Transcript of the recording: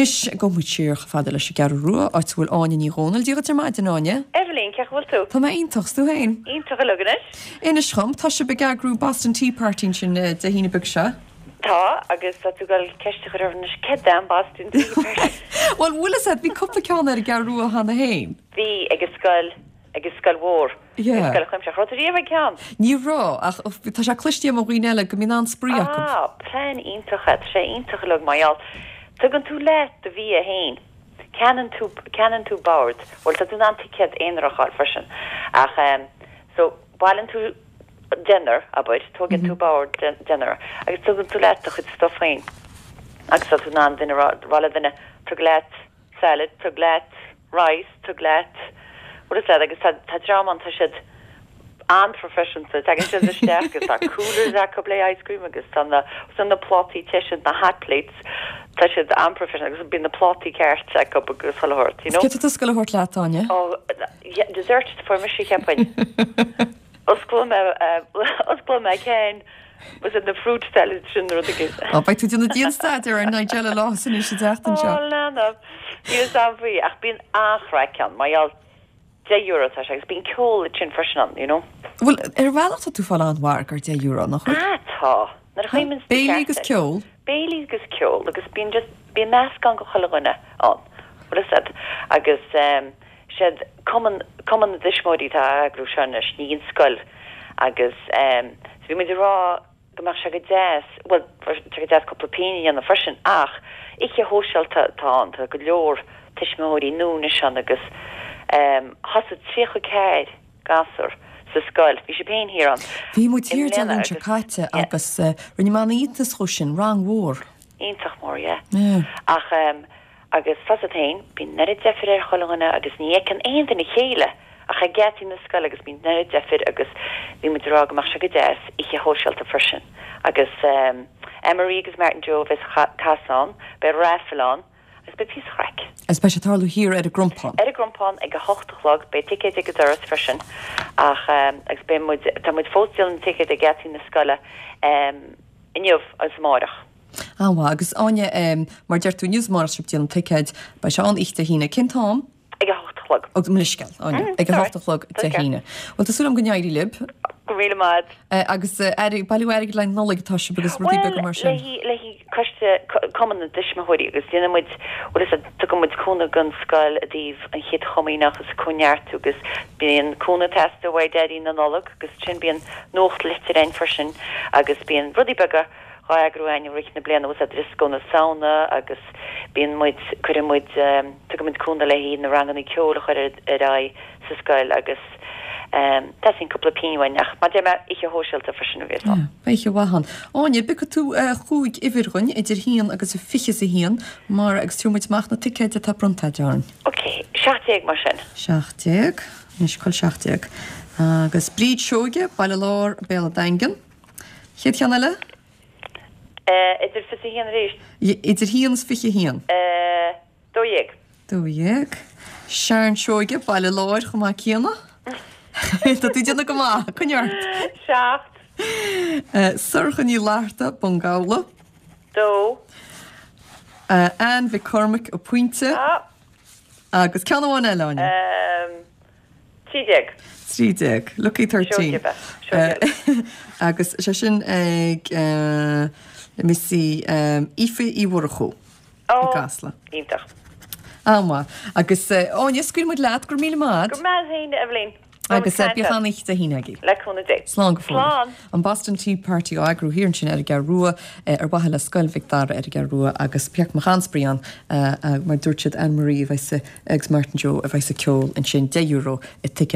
Anois, gabhfaidh muid siar chomh fada leis an gCeathrú Rua, áit a bhfuil Áine Ní Dhomhnaill. Dia dhuit ar maidin, Áine. Eibhlín, cén chaoi a bhfuil tú? Tá mé iontach, 's tú féin? Iontach uilig anois. Inis dhom, tá sibh ag eagrú Boston Tea Party ansin Dé hAoine beag seo? Tá, agus tá tú ag dul ceist a chur orm anois, céard é an Boston Tea Party? Bhuel, bhfuil fhios a'd, bhí cúpla ceann ar an gCeathrú Rua cheana féin. Bhí, ag an scoil. Ag an scoil mhór. Yeah. Ag scoil chuimsitheach. Raibh tú riamh ag ceann? Ní raibh, ach tá sé cloiste agam ó dhaoine eile go mbíonn an-spraoi acu. Ah, plean iontach é. Tá sé iontach uilig mar gheall. Tugann tú leat do bhia féin. Ceannaíonn tú, ceannaíonn tú bord. Bhuel, tá tú in ann ticéad aonarach a fháil freisin. Ach ehm, so, bailíonn tú deichniúr, abair, tógann tú bord deichniúr agus tugann tú leat do chuid stuff féin. Agus tá tú in ann duine, rá le duine, tug leat salad, tug leat rice, tug leat bhfuil fhios a'd agus tá tá dream ann tá siad an-phroifisiúnta, tagann siad isteach agus tá coolers acu le ice cream agus tá na tá na plátaí te sin, na hot plates, tá siad an-phroifisiúnta agus bíonn na plátaí ceart acu agus chuile shórt, you know. Céard tá tusa ag gabháil a thabhairt leat, Áine? Oh, dessert fuair mise cheapfainn. Osclóidh mé, osclóidh mé ceann, was it na fruit salad sin nó rud éigin. Ó, beidh tú ag déanamh dian-staidéar ar Nigella Lawson anois an tseachtain seo. Ó, leanbh. Níl fhios a'm faoi, ach bíonn an-chraic ann, mar gheall, €10 atá sé, agus bíonn ceol ansin freisin ann, you know. Bhuel, ar bhealach tá tú ag fáil an-mhargadh ar €10, nach bhfuil? Ah, tá. Nuair a chuimhníonn tú ceart Béilí agus ceol. Béilí agus ceol, agus bíonn just, bíonn meascán de chuile dhuine ann, bhfuil fhios a'd, agus ehm, siad cumann, cumann na dtuismitheoirí atá á eagrú seo anois, ní an scoil, agus ehm, so bhí muid ag rá go mbeadh sé go deas, bhuel, tá sé go deas cúpla pingin a dhéanamh freisin, ach oíche shóisialta atá ann, tá go leor tuismitheoirí nua anois ann agus ehm, thosaigh 34 gasúr sa scoil, bhí sibh féin thiar ann Bhí muid thiar Dé Luain seo caite agus rinne mé an-iontas dhó sin, rang mhór. Iontach mór, yeah. Ach ehm, Agus tá's a't fhéin, bíonn an oiread deifir ar chuile dhuine agus ní fheiceann aon duine a chéile ach ag geataí na scoile agus bíonn an oiread deifir agus bhí muid ag rá go mbeadh sé go deas oíche shóisialta freisin agus Anne-Marie agus Martin Joe a bheas ag casadh ann, beidh raffle ann agus beidh píosa chraic. Agus beidh sé ag tarlú thiar ar an gCrompán. Ar an gCrompán ag a hocht a chlog, beidh ticéid ag an doras freisin ach agus beidh muid, tá muid fós ag díol na ticéad ag geataí na scoile inniu agus amáireach. An-mhaith. Agus Áine, mar a deir tú, inniu is amárach tá sibh ag díol na ticéid, beidh sé ann oíche Dé hAoine. Cén t-am? Ag a hocht a chlog. Ó, mo leithscéal, Áine. Ag a hocht a chlog Dé hAoine. Bhuel, tá súil agam go n-éirí libh. Go raibh míle maith agat. Agus bailiú airgid le haghaidh Nollaig atá sibh agus rudaí beaga mar sin. Bhuel, le haghaidh coiste, Cumann na dTuismitheoirí agus déanann muid, bhfuil fhios a't, tugann muid cúnamh don scoil i dtaobh an Chéad Chomaoineach agus cóineartú agus bíonn cúnamh ag teastáil uaidh Daidí na Nollag agus ansin bíonn nuachtlitir againn freisin agus bíonn rudaí beaga dhá eagrú againn i rith na bliana bhfuil fhios a't dioscó na Samhna agus bíonn muid, cuireann muid, tugann muid cúnamh le haghaidh na ranganna ceoil a chur ar aghaidh sa scoil agus teastaíonn cúpla pingin uainn ach mar a deir mé, oíche shóisialta freisin a bheas ann. Beidh oíche mhaith ann. Áine, piocfaidh tú chúig uimhir dhuinn idir haon agus a fiche is a haon mar agus tabharfaidh muid amach na ticéid atá bronnta agat orainn. Ok, 17 mar sin. 17, anois cá bhfuil 17. Agus Bríd Seoige, Baile Láir, Béal an Daingin. Chéad cheann eile? Idir 21 arís. Idir haon is 21. 12. 12. Sharon Seoige, Baile Láir chomh maith céanna. Tá tú ag déanamh go maith, coinnigh ort. 7. Sorcha Ní Fhlatharta, Bun Gabhla. 2. Anne Mhic Cormaic, an Pointe. Agus ceann amháin eile, Áine. 13. 13. Lucky 13. Agus sé sin ag let me see Aoife Uí Mhurchú i gCasla. Iontach. An-mhaith. Agus Áine, scaoilfidh muid leat, go raibh míle maith agat. Go raibh maith agat féin, Eibhlín. Agus bíodh an-oíche Dé hAoine agaibh. Le cúnamh Dé. Slán go fóill. Slán. An Boston Tea Party á eagrú thiar ansin ar an gCeathrú Rua ar mhaithe le Scoil Mhic Dara ar an gCeathrú Rua agus bheadh go mbeadh an-spraoi ann mar dúirt siad Anne Marie a bheas agus Martin Joe a bheas ag ceol ansin €10 an ticéad.